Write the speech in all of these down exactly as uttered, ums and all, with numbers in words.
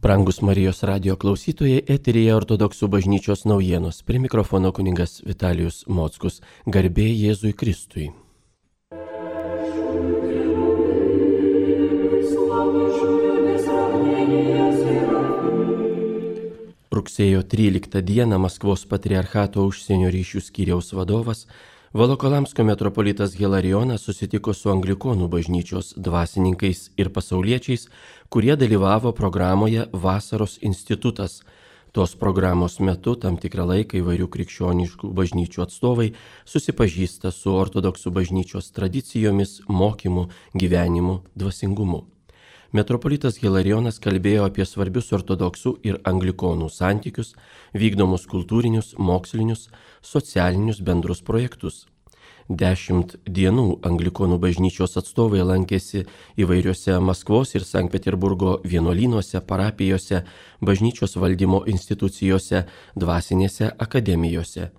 Brangus Marijos radijo klausytojai, eteryje Ortodoksų bažnyčios naujienos. Prie mikrofono kunigas Vitalijus Mockus. Garbė Jėzui Kristui. Rugsėjo tryliktą dieną Maskvos patriarchato užsienio ryšių skyriaus vadovas Volokolamsko metropolitas Hilarijonas susitiko su Anglikonų bažnyčios dvasininkais ir pasauliečiais, kurie dalyvavo programoje Vasaros institutas. Tos programos metu tam tikrą laiką įvairių krikščioniškų bažnyčių atstovai susipažįsta su ortodoksų bažnyčios tradicijomis, mokymu, gyvenimu, dvasingumu. Metropolitas Hilarijonas kalbėjo apie svarbius ortodoksų ir anglikonų santykius, vykdomus kultūrinius, mokslinius, socialinius bendrus projektus. Dešimt dienų anglikonų bažnyčios atstovai lankėsi įvairiuose Maskvos ir Sankt Peterburgo vienuolynuose, parapijose, bažnyčios valdymo institucijose, dvasinėse akademijose.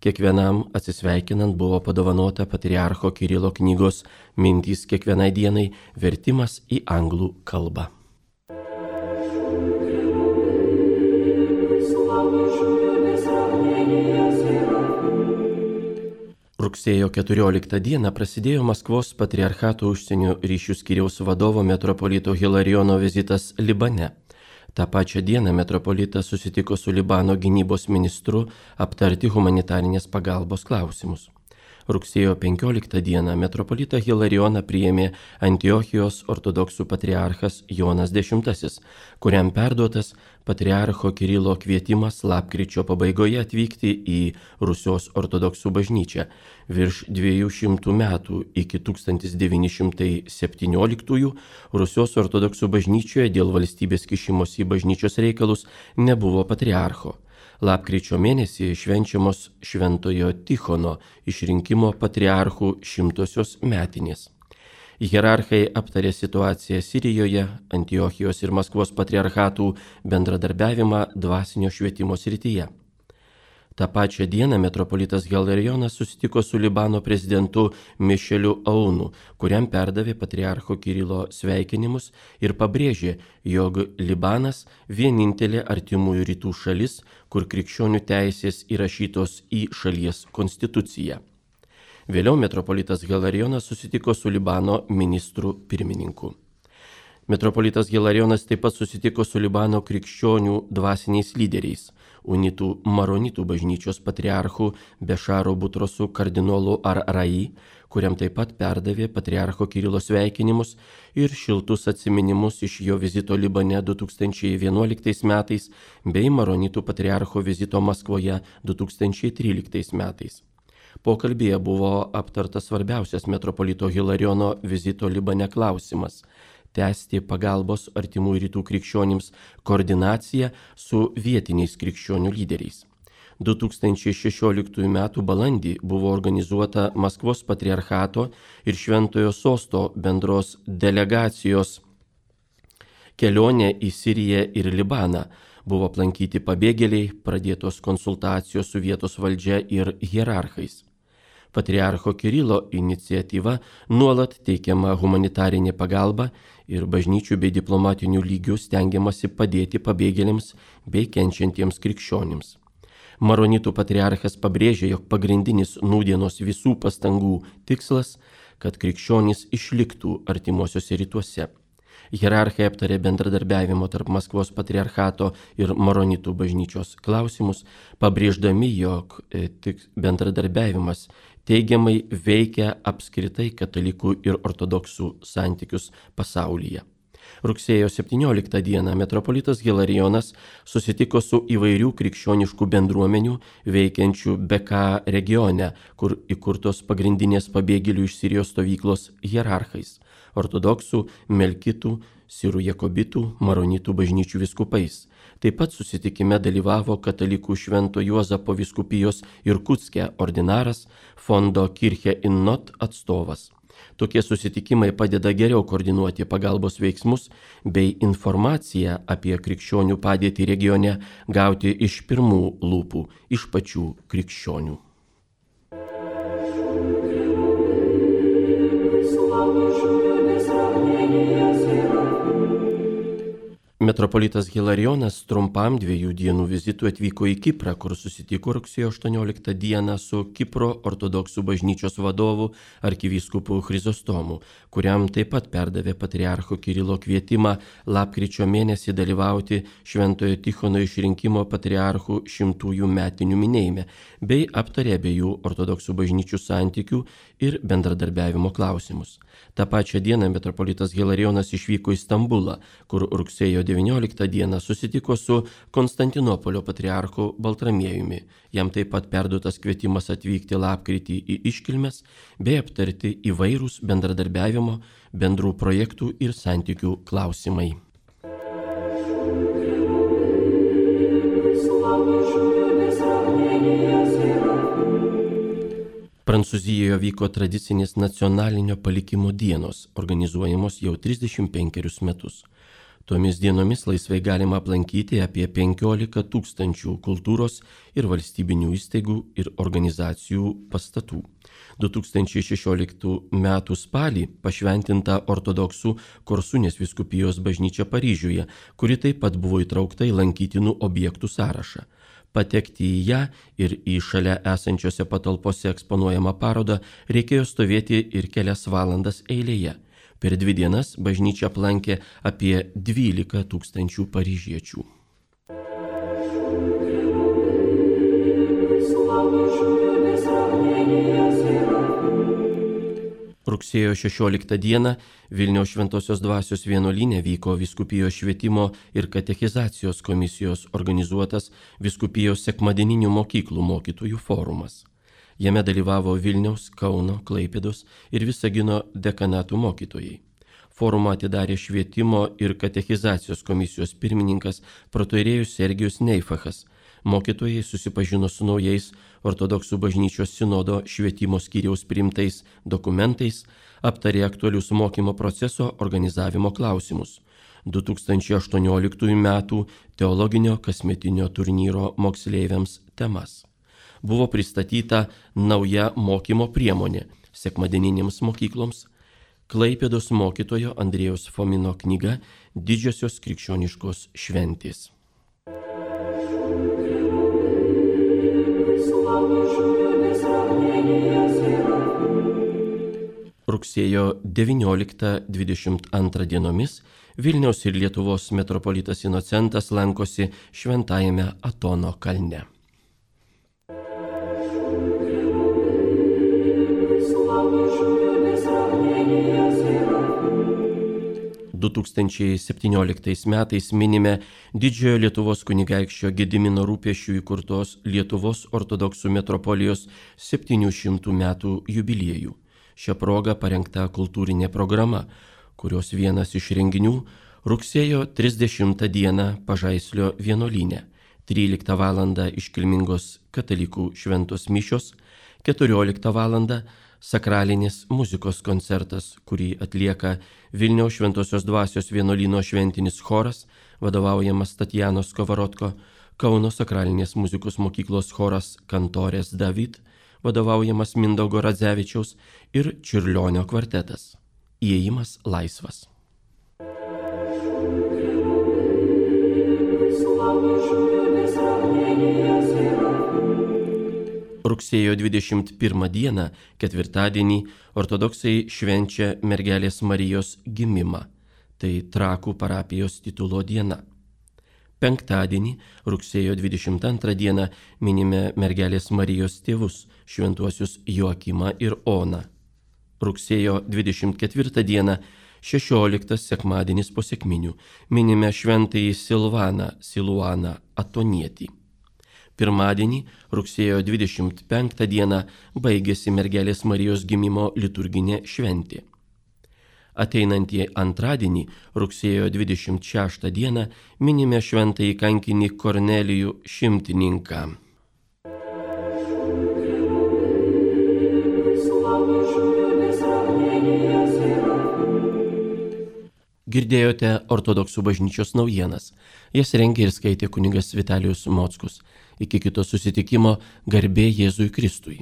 Kiekvienam atsisveikinant buvo padovanota patriarcho Kirilo knygos Mintys kiekvienai dienai vertimas į anglų kalbą. Rugsėjo keturioliktą dieną prasidėjo Maskvos patriarchato užsienio ryšių skyriaus vadovo metropolito Hilarijono vizitas Libane. Ta pačią dieną metropolitas susitiko su Libano gynybos ministru aptarti humanitarinės pagalbos klausimus. Rugsėjo penkioliktą dieną metropolitą Hilarijoną priėmė Antiochijos ortodoksų patriarchas Jonas X, kuriam perduotas patriarcho Kirilo kvietimas lapkričio pabaigoje atvykti į Rusijos ortodoksų bažnyčią. Virš dviejų šimtų metų iki tūkstantis devyni šimtai septynioliktųjų Rusijos ortodoksų bažnyčioje dėl valstybės kišimosi į bažnyčios reikalus nebuvo patriarcho. Lapkričio mėnesį švenčiamos Šventojo Tichono išrinkimo patriarchų šimtosios metinės. Hierarchai aptarė situaciją Sirijoje, Antiochijos ir Maskvos patriarchatų bendradarbiavimą dvasinio švietimo srityje. Ta pačią dieną metropolitas Hilarijonas susitiko su Libano prezidentu Mišeliu Aunu, kuriam perdavė patriarcho Kirilo sveikinimus ir pabrėžė, jog Libanas vienintelė artimųjų rytų šalis, kur krikščionių teisės įrašytos į šalies konstituciją. Vėliau metropolitas Hilarijonas susitiko su Libano ministru pirmininku. Metropolitas Hilarijonas taip pat susitiko su Libano krikščionių dvasiniais lyderiais, unitų maronitų bažnyčios patriarchu Bešaro Butrosu kardinolu Ar-Rai, kuriam taip pat perdavė patriarcho Kirilo sveikinimus ir šiltus atsiminimus iš jo vizito Libane du tūkstančiai vienuoliktais metais bei maronitų patriarcho vizito Maskvoje du tūkstančiai tryliktais metais. Pokalbyje buvo aptartas svarbiausias metropolito Hilarijono vizito Libane klausimas – tęsti pagalbos artimųjų rytų krikščionims koordinaciją su vietiniais krikščionių lyderiais. du tūkstančiai šešioliktųjų metų balandį buvo organizuota Maskvos patriarchato ir Šventojo Sosto bendros delegacijos kelionė į Siriją ir Libaną. Buvo aplankyti pabėgėliai, pradėtos konsultacijos su vietos valdžia ir hierarchais. Patriarcho Kirilo iniciatyva nuolat teikiama humanitarinė pagalba ir bažnyčių bei diplomatinių lygių stengiamasi padėti pabėgėliams bei kenčiantiems krikščionims. Maronitų patriarchas pabrėžė, jog pagrindinis nūdienos visų pastangų tikslas, kad krikščionys išliktų artimuosiuose rytuose. Hierarchai aptarė bendradarbiavimo tarp Maskvos patriarchato ir maronitų bažnyčios klausimus, pabrėždami, jog tik bendradarbiavimas teigiamai veikia apskritai katalikų ir ortodoksų santykius pasaulyje. Rugsėjo septynioliktą dieną metropolitas Hilarijonas susitiko su įvairių krikščioniškų bendruomenių veikiančių B K regione, kur įkurtos pagrindinės pabėgėlių iš Sirijos stovyklos hierarchais – ortodoksų, melkitų, sirų jakobitų, maronitų bažnyčių vyskupais. Taip pat susitikime dalyvavo katalikų Švento Juozapo vyskupijos Irkutske ordinaras, fondo Kirche in Not atstovas. Tokie susitikimai padeda geriau koordinuoti pagalbos veiksmus bei informaciją apie krikščionių padėtį regione gauti iš pirmų lūpų, iš pačių krikščionių. Metropolitas Hilarijonas trumpam dviejų dienų vizitui atvyko į Kiprą, kur susitiko rugsėjo aštuonioliktą dieną su Kipro ortodoksų bažnyčios vadovu arkivyskupu Chrizostomu, kuriam taip pat perdavė patriarcho Kirilo kvietimą lapkričio mėnesį dalyvauti Šventojo Tichono išrinkimo patriarchų šimtųjų metinių minėjime, bei aptarė abiejų ortodoksų bažnyčių santykių ir bendradarbiavimo klausimus. Ta pačia dieną metropolitas Hilarijonas išvyko į Stambulą, kur rugsėjo devynioliktą dieną susitiko su Konstantinopolio patriarchu Baltramiejumi. Jam taip pat perduotas kvietimas atvykti lapkritį į iškilmes bei aptarti įvairūs bendradarbiavimo, bendrų projektų ir santykių klausimai. Prancūzijoje vyko tradicinės nacionalinio palikimo dienos, organizuojamos jau trisdešimt penkerius metus. Tomis dienomis laisvai galima aplankyti apie penkiolika tūkstančių kultūros ir valstybinių įstaigų ir organizacijų pastatų. du tūkstančiai šešioliktų metų spalį pašventinta ortodoksų Korsunės vyskupijos bažnyčia Paryžiuje, kuri taip pat buvo įtraukta į lankytinų objektų sąrašą. Patekti į ją ir į šalia esančiose patalpose eksponuojamą parodą reikėjo stovėti ir kelias valandas eilėje. Per dvi dienas bažnyčią aplankė apie dvylika tūkstančių paryžiečių. Rugsėjo šešioliktą dieną Vilniaus Šventosios Dvasios vienuolyne vyko vyskupijos švietimo ir katechizacijos komisijos organizuotas vyskupijos sekmadieninių mokyklų mokytojų forumas. Jame dalyvavo Vilniaus, Kauno, Klaipėdos ir Visagino dekanatų mokytojai. Forumą atidarė švietimo ir katechizacijos komisijos pirmininkas protoirėjus Sergijus Neifachas. Mokytojai susipažino su naujais ortodoksų bažnyčios sinodo švietimo skyriaus priimtais dokumentais, aptarė aktualius mokymo proceso organizavimo klausimus. du tūkstančiai aštuonioliktųjų metų teologinio kasmetinio turnyro moksleiviams temas. Buvo pristatyta nauja mokymo priemonė sekmadieninėms mokykloms, Klaipėdos mokytojo Andrėjaus Fomino knyga Didžiosios krikščioniškos šventės. Rugsėjo devynioliktą dvidešimt antrą dienomis Vilniaus ir Lietuvos metropolitas Inocentas lankosi Šventajame Atono kalne. du tūkstančiai septynioliktais metais minime didžiojo Lietuvos kunigaikščio Gedimino rūpesčių įkurtos Lietuvos ortodoksų metropolijos septynių šimtų metų jubiliejų. Šia proga parengta kultūrinė programa, kurios vienas iš renginių rugsėjo trisdešimtą dieną Pažaislio vienuolyne, tryliktą valandą iškilmingos katalikų šventos mišios, keturioliktą valandą sakralinės muzikos koncertas, kurį atlieka Vilniaus Šventosios Dvasios vienuolyno šventinis choras, vadovaujamas Tatjanos Kovarotko, Kauno sakralinės muzikos mokyklos choras Kantorės David, vadovaujamas Mindaugo Radzevičiaus ir Čiurlionio kvartetas. Įėjimas laisvas. Rugsėjo dvidešimt pirmą dieną, ketvirtadienį, ortodoksai švenčia Mergelės Marijos gimimą. Tai Trakų parapijos titulo diena. Penktadienį, rugsėjo dvidešimt antrą dieną, minime Mergelės Marijos tėvus, šventuosius Joakimą ir Oną. Rugsėjo dvidešimt ketvirtą dieną, šešioliktas sekmadienis po sekminių, minime šventąjį Silvaną, Siluaną Atonietį. Pirmadienį, rugsėjo dvidešimt penktą dieną, baigėsi Mergelės Marijos gimimo liturginė šventė. Ateinantį antradienį, rugsėjo dvidešimt šeštą dieną, minime šventąjį kankinį Kornelijų Šimtininką. Girdėjote ortodoksų bažnyčios naujienas. Jas rengė ir skaitė kunigas Vitalijus Mockus. Iki kito susitikimo, garbė Jėzui Kristui.